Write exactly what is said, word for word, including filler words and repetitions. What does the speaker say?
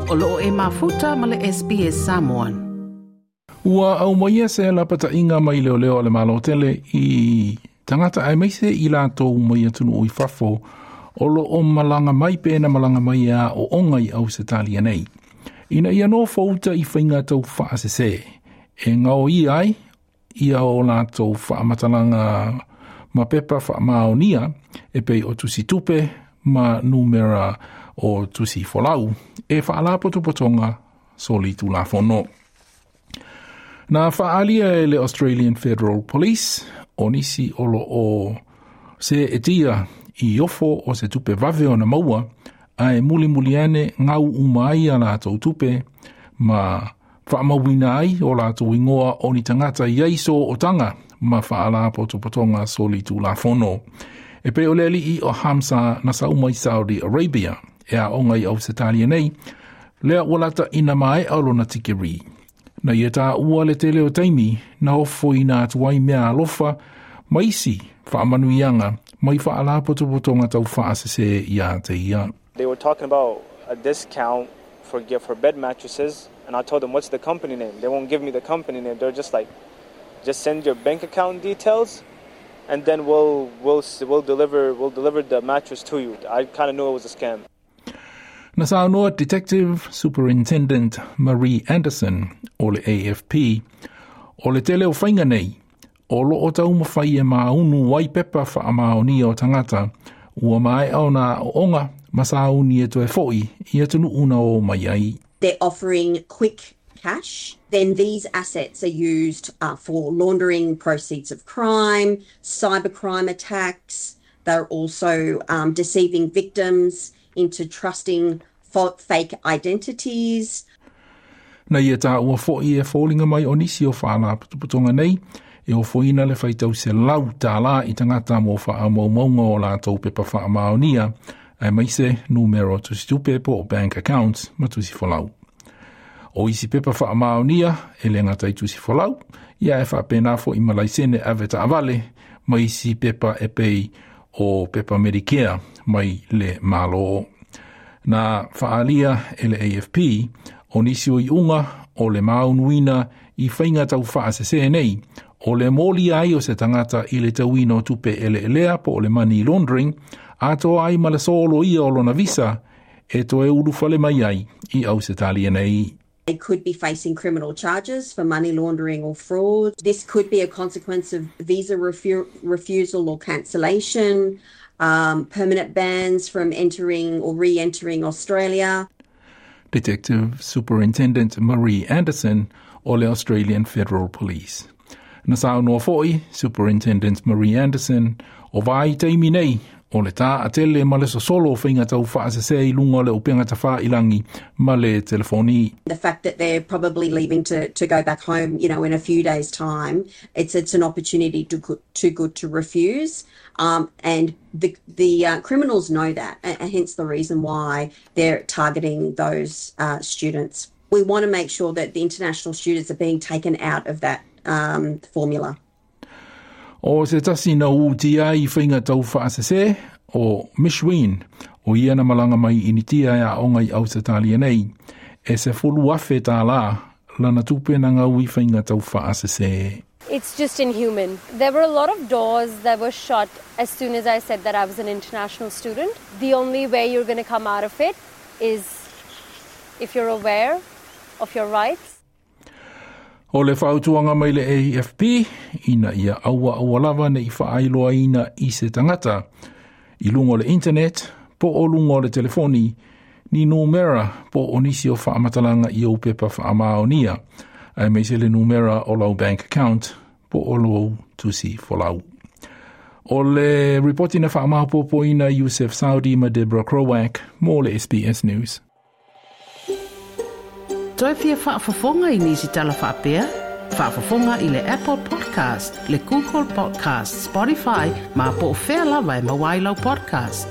O loo e mafuta ma le S B S Samoan. Ua aumaia se lapata'iga mai leoleo a le Malo tele i tagata aemaise i latou mai atunuu i fafo o loo malaga mai pe na malaga mai aooga i Ausetalia nei, ina ia nofouta i faiga tau faasese e gaoia ai ia o latou faamatalaga ma pepa faamaonia e pei o tusi tupe ma numera o tusi folau e faalapotopotoga solitulafono. Na faaalia e le Australian Federal Police o nisi o loo seetia i ofo o se tupe vave ona maua, ae mulimuli ane gau uma ai a latou tupe ma faamauina ai o latou igoa o ni tagata i ai sootaga ma faalapotopotoga solitulafono. E pei o le alii o Hamsa na sau mai Saudi Arabia e aoga i Ausetalia nei, lea ua lata ina maea o lona tikeri. Na ia taua le tele o taimi na ofoina atu ai mea alofa ma isi faamanuiaga mai faalapotopotoga tau faasese ia te ia. They were talking about a discount for gift for bed mattresses, and I told them, "What's the company name?" They won't give me the company name. They're just like, "Just send your bank account details, and then we'll we'll we'll deliver we'll deliver the mattress to you." I kind of knew it was a scam. Na saunoa Detective Superintendent Marie Anderson o le A F P o le tele o faiga nei o loo taumafai e maunu ai pepa faamaonia o tagata ua maea ona aooga ma sauni e toe fo'i i atunuu na o mai ai. They're offering quick cash. Then these assets are used uh, for laundering proceeds of crime, cybercrime attacks. They're also um, deceiving victims into trusting fake identities. Na ia taua fo'i e foliga mai o nisi o faalapotopotoga nei e ofoina le faitau selau tālā i tagata mo faamaumauga o latou pepa faamaonia, aemaise numera o tusitupe po o bank accounts ma tusi folau. O isi pepa faamaonia e le gata i tusi folau, ia e faapena fo'i ma laisene ave taavale ma isi pepa e pei o pepa Medicare mai le Malo. Na faalia e le A F P o nisi o iuga o le maunuina i faiga tau faasese nei, o le moli ai o se tagata i le tauina o tupe eleelea po o le money laundering, atoa ai ma le soloia o lona visa e toe ulufale mai ai i Ausetalia nei. They could be facing criminal charges for money laundering or fraud. This could be a consequence of visa refu- refusal or cancellation, um, permanent bans from entering or re entering Australia. Detective Superintendent Marie Anderson o le Australian Federal Police. Na saunoa fo'i Superintendent Marie Anderson o vaitaimi nei o le taatele ma le sosolo o faiga tau faasese i luga o le upega tafailagi ma le telefoni. The fact that they're probably leaving to, to go back home, you know, in a few days' time, it's it's an opportunity too, too good to refuse. Um, and the the uh, criminals know that, and hence the reason why they're targeting those uh, students. We want to make sure that the international students are being taken out of that um, formula. O se tasi na utia i faiga tau faasese o Mishwin o ia na malaga mai Initia e aoga i Ausetalia nei e sefulu afe tālā lana tupe na gau i faiga tau faasese. It's just inhuman. There were a lot of doors that were shut as soon as I said that I was an international student. The only way you're going to come out of it is if you're aware of your rights. O le fautuaga mai le A F P ina ia aua aua lava ne i faailoaina i se tagata i luga o le internet po o luga o le telefoni ni numera po o nisi o faamatalaga i ou pepa faamaonia, aemaise le numera o lau bank account po o lou tusi folau. O le ripoti na faamaopoopoina Yusef Saudi ma Deborah Krowak mo le S B S News. Toe fia faafofoga i nisi tala faapea? Faafofoga i le Apple Podcast, le Google Podcast, Spotify, ma po o fea lava e maua ai lau podcast.